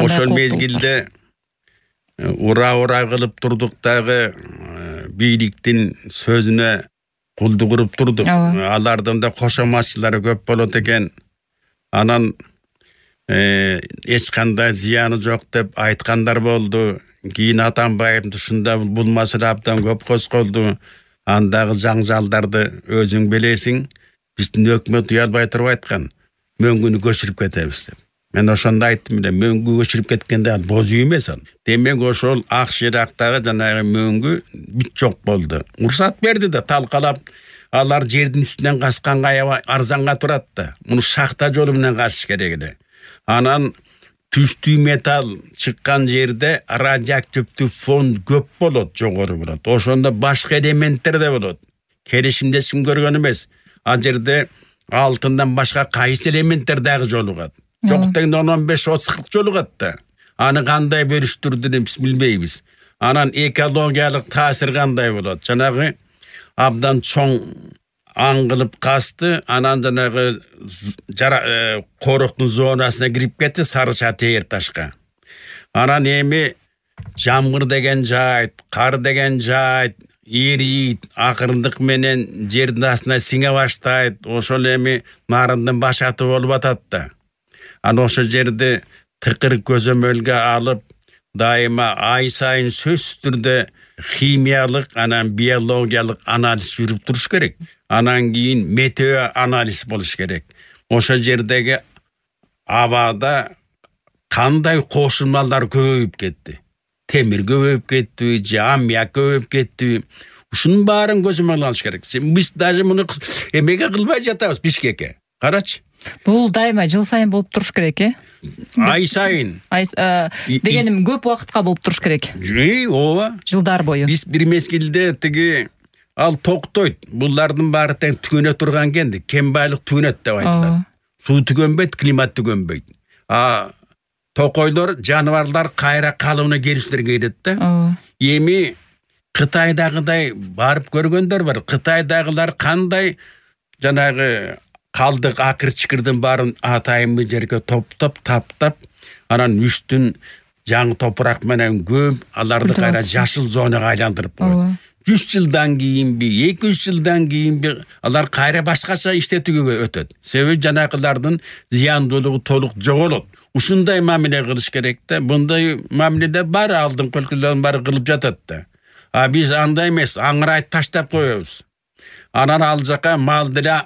ошол мезгилде ура кылып турдук дагы бийликтин сөзүнө кулдук кылып турдук. Алардын да кошоматчылары көп болот экен. Анан эч кандай зыяны жок деп айткандар болду. Кийин Атамбаевдин тушунда бул маселе абдан көп козголду. Андагы жаңжалдарды өзүң билесиң. Биздин өкмөт уялбай туруп айткан. Мөңгүнү көчүрүп кетебиз деп. Мен ошондо айттым эле, мөңгү көчүрүп кеткенде ал боз үй эмес ал. Демек ошол Ак Шырактагы жанагы мөңгү бүт жок болду. Уруксат берди да талкалап, алар жердин үстүнөн касканга аябай арзанга турат да. Муну шахта жолу менен касыш керек эле. Анан түстүү металл чыккан жерде радиоактивдүү фон көп болот, жогору болот. Ошондо башка элементтер да болот. Келишимде эч ким көргөн эмес. Ал жерде алтындан башка кайсы элементтер дагы жолугат. Жок дегенде 15-30 жолугат да. Аны кандай бөлүштүрдү биз билбейбиз. Анан экологиялык таасир кандай болот? Жанагы абдан чоң аң кылып касты, анан жанагы коруктун зонасына кирип кетти Сарыча тээр ташка. Анан эми жамгыр деген жайт, кар деген жайт эрийт, акырындык менен жердин астына сиңе баштайт. Ошол эми нарындын башаты болуп атат да. Анан ошол жерди тыкыр көзөмөлгө алып, дайыма ай сайын сөзсүз түрдө химиялык, анан биологиялык анализ жүрүп туруш керек. Анан кийин метео анализ болуш керек. Ошол жердеги абада кандай кошулмалар көбөйүп кетти. Темир көбөйүп кеттиби, же аммиак көбөйүп кеттиби? Ушунун баарын көзөмөл алыш керек. Биз даже муну эмеге кылбай жатабыз Бишкекке. Карачы. Бул дайыма жыл сайын болуп туруш керек, Ай сайын. Дегеним көп убакытка болуп туруш керек. Ооба. Жылдар бою. Биз бир мезгилде тиги ал токтойт. Булардын баары тең түгөнө турган кенди. Кен байлык түгөнөт деп айтылат. Суу түгөнбөйт, климат түгөнбөйт. Токойлор, жаныбарлар кайра калыбына келиштерге келет да. Эми Кытайдагыдай барып көргөндөр бар. Кытайдагылар кандай жанагы калдык акыр-чыкырдын баарын атайын жерге топтоп, таптап, анан үстүн жаңы топурак менен көмүп, аларды кайра жашыл зонага айландырып коет. 100 жылдан кийинби, 200 жылдан кийинби алар кайра башкача иштетүүгө өтөт. Себеби жанакылардын зыяндуулугу толук жоголот. Ушундай мамиле кылыш керек да. Мындай мамиледе бар алдыңкы өлкөлөрдүн баары кылып жатат да. Биз андай эмес, аңырайт таштап коебуз. Анан ал жака мал деле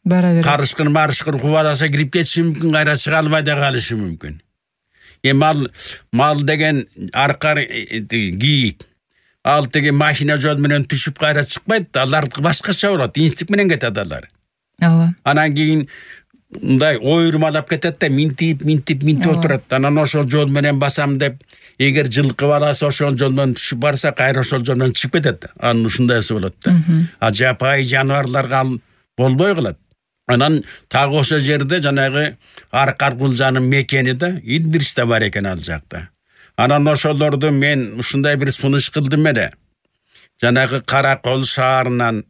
карышкыр кубаласа кирип кетиши мүмкүн, кайра чыга албай да калышы мүмкүн. Мал деген аркар кийик. Ал теги машина жол менен түшүп кайра чыкпайт, алар башкача болот, инстинкт менен кетет алар. Анан кийин мындай ойрумалап кетет да, минтип отурат. Анан ошол жол менен басам деп, эгер жылкы баласы ошол жолдон түшүп барса, кайра ошол жолдон чыгып кетет. Анын ушундайсы болот да. Жапайы жаныбарларга болбой калат. Анан тагы ошол жерде жанагы Аркар Кулжанын мекени да, Илбирис да бар экен ал жакта. Анан ошолорду мен ушундай бир сунуш кылдым эле. Жанагы Каракол шаарынан,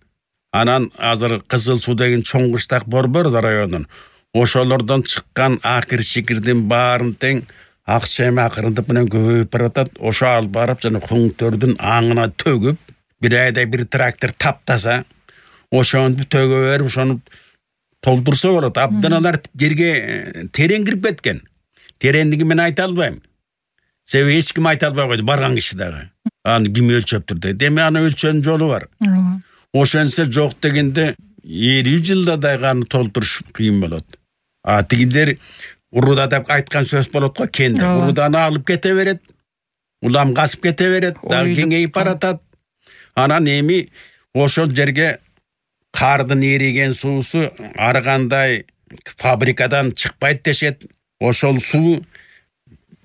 анан азыр Кызыл Суу деген чоң кыштак борбор районунун. Ошолордон чыккан акыр-чикирдин баарын тең акча акырындык менен көбөйүп баратат. Ошо алып барып жана Хуңтөрдүн аңына төгүп, бир айда бир трактор таптаса, ошону төгө берип, ошону толтурса болот. Абдан алар жерге терең кирип кеткен. Тереңдиги мен айта албайм. Себеби эч ким айта албай койду, барган киши дагы. Аны ким өлчөптүр дейт. Эми аны өлчөнүн жолу бар. Ошончо жок дегенде 50 жылда дагы аны толтуруш кыйын болот. Тигилер уруда деп айткан сөз болот го, кенде. Уруданы алып кете берет. Улам касып кете берет, дагы кеңейип баратат. Анан эми ошол жерге кардын эриген суусу ар кандай фабрикадан чыкпайт дешет. Ошол суу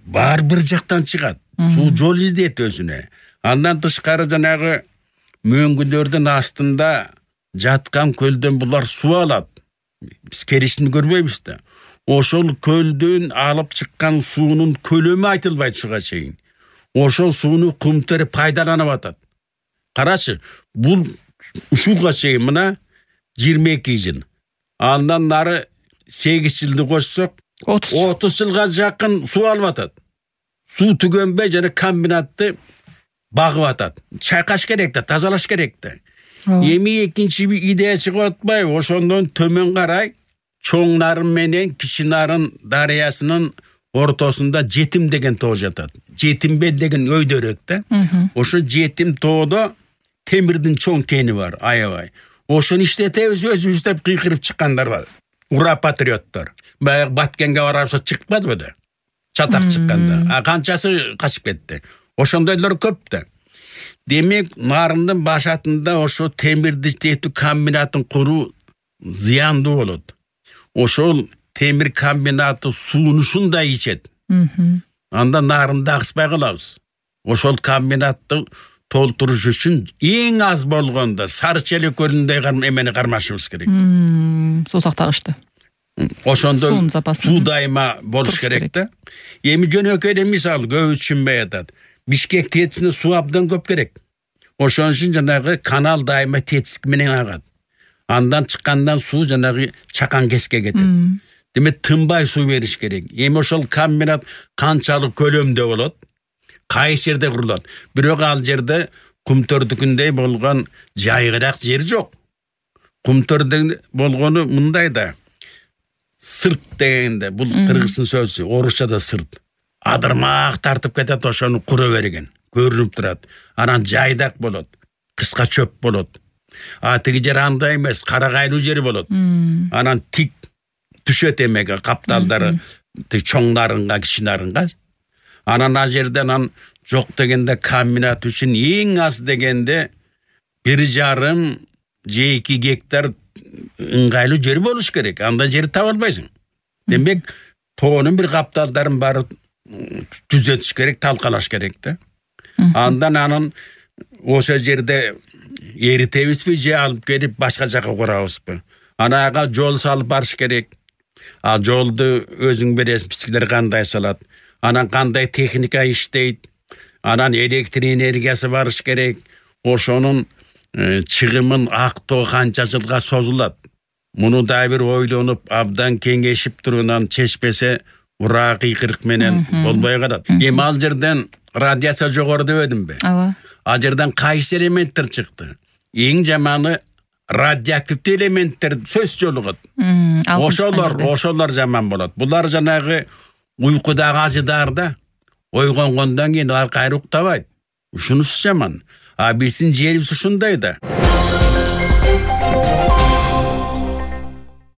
бар бир жактан чыгат. Суу жол издейт өзүнө. Андан тышкары жанагы мөңгүлөрдүн астында жаткан көлдөн булар суу алат. Биз керишин көрбөйбүз да. Ошол көлдөн алып чыккан суунун көлөмү айтылбайт чуга чейин. Ошол сууну Кумтөр пайдаланып атат. Карачы, бул ушуга чейин мына 22 жыл. Андан нары 8 жылды кошсок 30 жылга жакын суу алып атат. суу түгөнбөй жана комбинатты багып атат. Чайкаш керек да, тазалаш керек да. Эми экинчи идея чыгып атпайбы? Ошондон төмөн карай Чоң Нарын менен Кичи Нарын дарыясынын ортосунда Жетим деген тоо жатат. Жетимбел деген өйдөрөк да. Ошо Жетим тоодо темирдин чоң кени бар, аябай. Ошону иштетебиз, өзүбүз деп кыйкырып чыккандар бар. Ура патриоттор. Баягы Баткенге барапса чыкпадыбы да? Чатак чыкканда. Канчасы качып кетти. Ошондойлор көп да. Демек, Нарындын башатында ошо темирди жетүү комбинатын куруу зыяндуу болот. Ошол темир комбинаты сууну ушундай ичет. Анда Нарынды агыспай калабыз. Ошол комбинатты толтуруш үчүн эң аз болгондо Сары Челек көлүндөй эмени кармашыбыз керек. Суу сактагычты. Ошондо суу дайыма болуш керек да. Эми жөнөкөй мисалы көп түшүнбөй атат. Бишкек тетисине суу абдан көп керек. Ошон үчүн жанагы канал дайыма тетиск менен агат. Андан чыккандан суу жанагы чакан кеске кетет. Демек тынбай суу бериш керек. Эми ошол комбинат канчалык көлөмдө болот? Кайсы жерде курулат? Бирок ал жерде Кумтөрдүкүндөй болгон жайгыраак жер жок. Кумтөрдө болгону мындай да. Сырт дегенде, бул кыргыздын сөзү, орусчада сырт. Адырмак тартып кетет, ошону кура берген. Көрүнүп турат. Анан жайдак болот. Кыска чөп болот. Тиги жер андай эмес, карагайлуу жер болот. Анан тик түшөт эмеге капталдары Чоң Нарынга, Кичи Нарынга. Анан ал жерден жок дегенде комбинат үчүн эң аз дегенде 1,5-2 гектар ыңгайлуу жер болуш керек. Анда жер таба албайсың. Демек, тоонун бир капталдарын бары түзөтүш керек, талкалаш керек да. Андан ошо жерде эритебизби же алып келип башка жака курабызбы? Ага жол салып барыш керек. Жолду өзүң бересиң, пичкилер кандай салат. Анан кандай техника иштейт. Анан электр энергиясы барыш керек. Ошонун чыгымын актоо канча жылга созулат. Муну да бир ойлонуп, абдан кеңешип турунан чечпесе, ура кыйкырык менен болбой калат. Эми ал жерден радиация жогору дебедимби? Ооба. Ал жерден кайсы элементтер чыкты? Эң жаманы радиоактивдүү элементтер сөз жолугат. Ошолор жаман болот. Булар жанагы уйкудагы ажыдарда ойгонгондон кийин алар кайра уктабайт. Ушунусу жаман. Биздин жерибиз ушундай да.